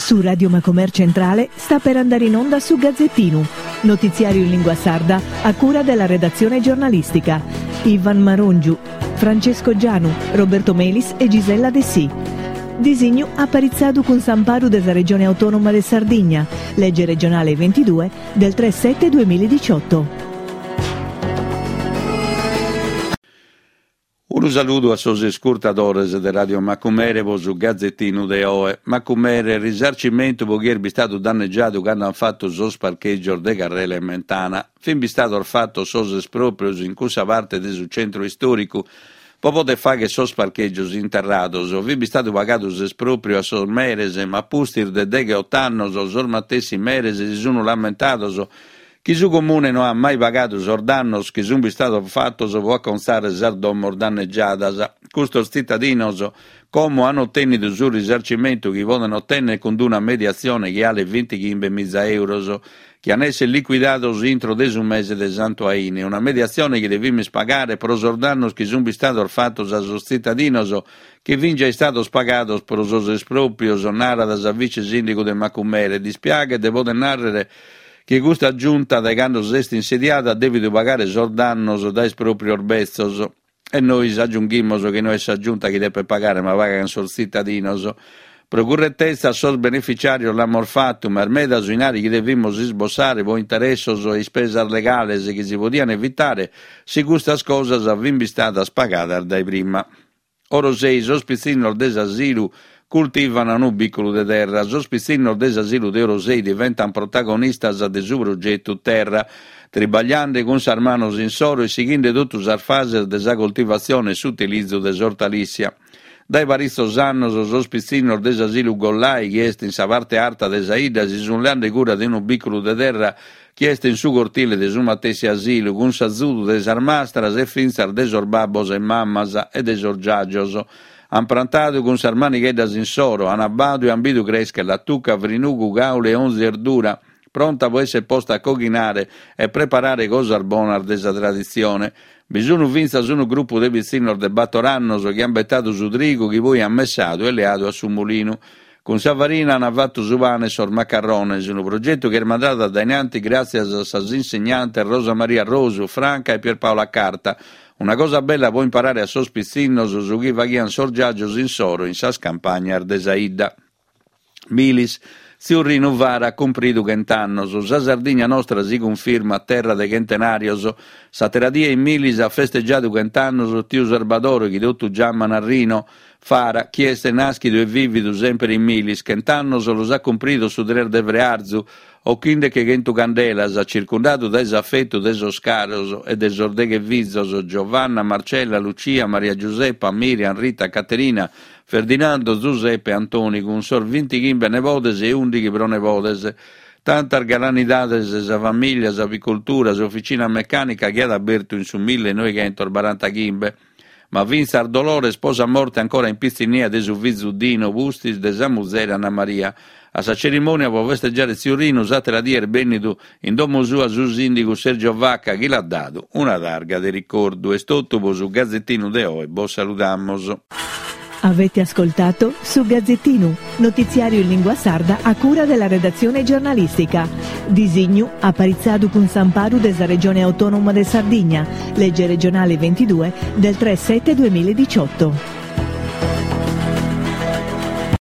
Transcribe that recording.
Su Radio Macomer Centrale sta per andare in onda su Gazzettinu, notiziario in lingua sarda a cura della redazione giornalistica. Ivan Marongiu, Francesco Gianu, Roberto Melis e Gisella Dessì. Disignu aparitzadu cun s'amparu de sa Regione Autonoma de Sardigna, lege regionale 22 del 3 7 2018. Unu saludu a sos iscurtadores de Radio Macumere po su Gazettinu de oe. Macumere, risarcimentu po chie est bistadu dannegiadu cando an fatu sos parchègios de Carrela 'e Mentana. Fin bistados fatos sos espròprios in cussa parte de su centru istòricu po poder fagher sos parchègios interrados. Fit bistadu pagadu s'espròpriu a sos meres, ma a pustis de degheot'annos sos matessi meres si sun lamentados chi su Comune no at mai pagadu sos dannos chi sunt bistados fatos pro acontzare sas domos dannegiadas. Custos tzitadinos como an otènnidu su risarcimentu chi poden otènnere cun una mediatzione chi 'alet bintichimbe miza euros, chi an èssere licuidados intro de su mese de Santu 'Aini, una mediatzione chi devimis pagare pro sos dannos chi sunt bistados fatos a sos tzitadinos chi fin già istados pagados pro sos espròprios, narat sa vice sìndigu de Macumere. Dispiaghet de poder nàrrere chi custa Giunta dae cando s'est insediada at dèvidu pagare sos dannos dae espròprios betzos. E nois agiunghimus chi no est sa Giunta chi depet pagare ma pagant sos tzitadinos. Pro curretezza a sos beneficiàrios l'amus fatu, ma est meda su 'inari chi devimus isbossare pro interessos e ispesas legales chi si podiant evitare si custas cosas fin bistadas pagadas dae prima. Orosei, sos pitzinnos de s'asilu cultivan unu bìculu de terra. Sos pitzinnos de s'asilu de Orosei diventan protagonistas de su progetu Terra, tribagliande cun sas manos insoro e sighinde totu sas fases de sa coltivatzione e s'utilizu de s'ortalìssia. Dae paritzos annos sos pitzinnos de s'asilu Gollai, chi est in sa parte arta de sa 'idda, si sun leande cura de unu bìculu de terra chi est in su cortile de su matessi asilu, cun s'azudu de sas mastras e fintzas de sos babbos e mamas e de sos giàgios. An prantadu cun sas manigheddas insoro, an abbadu e an bidu crèschere latuca, frinugu, càule e onzi erdura, pronta pro èssere posta a coghinare e preparare cosas bonas de sa traditzione. Bi sun fintzas unu grupu de pitzinnos de bator annos chi an betadu su trigu chi poi an messadu e leadu a su mulinu. Cun sa farina an fatu su pane e sos macarrones, unu progetu chi est mandadu a dae in anti gràtzias a sas insegnantes Rosa Maria Rosu, Franca e Pierpaola Carta. Una cosa bella pro imparare a sos pitzinnos su chi faghian sos giàgios insoro in sas campagnas de sa 'idda. Milis, Tziu Rinu Fara at cumpridu chent'annos. Sa Sardigna nostra si cunfirmat terra de chentenàrios. S'àtera die in Milis at festegiadu chent'annos tiu Sarbadore chi totu giaman a Rino. Fara, chi est nàschidu e vìvidu semper in Milis, chent'annos los at cumpridos su tres de frearzu, ochinde-che chentu candelas, circundadu dae s'afetu de sos caros e de sos deghe fizos, Giovanna, Marcella, Lucia, Maria Giuseppa, Miriam, Rita, Caterina, Ferdinando, Zuseppe e Antoni, cun sos bintighimbe nebodes e ùndighi pronebodes. Tantas galanidades, sa famìllia, s'apicoltura, s'oficina mecànica chi at abertu in su millenoighentosbarantachimbe. Ma fintzas dolores po sa morte ancora in pitzinnia de su fizu Dino pustis de sa muzere Anna Maria. A sa cerimònia po festegiare tziu Rinu s'àtera die est bènnidu in domo sua su sìndigu Sergio Vacca chi l'at dadu una targa de ricordu. Est totu po su Gazettinu de oe, bos saludamos. Avete ascoltato Su Gazzettinu, notiziario in lingua sarda a cura della redazione giornalistica. Disignu aparitzadu cun s'amparu de sa Regione Autonoma de Sardigna, legge regionale 22 del 3 7 2018.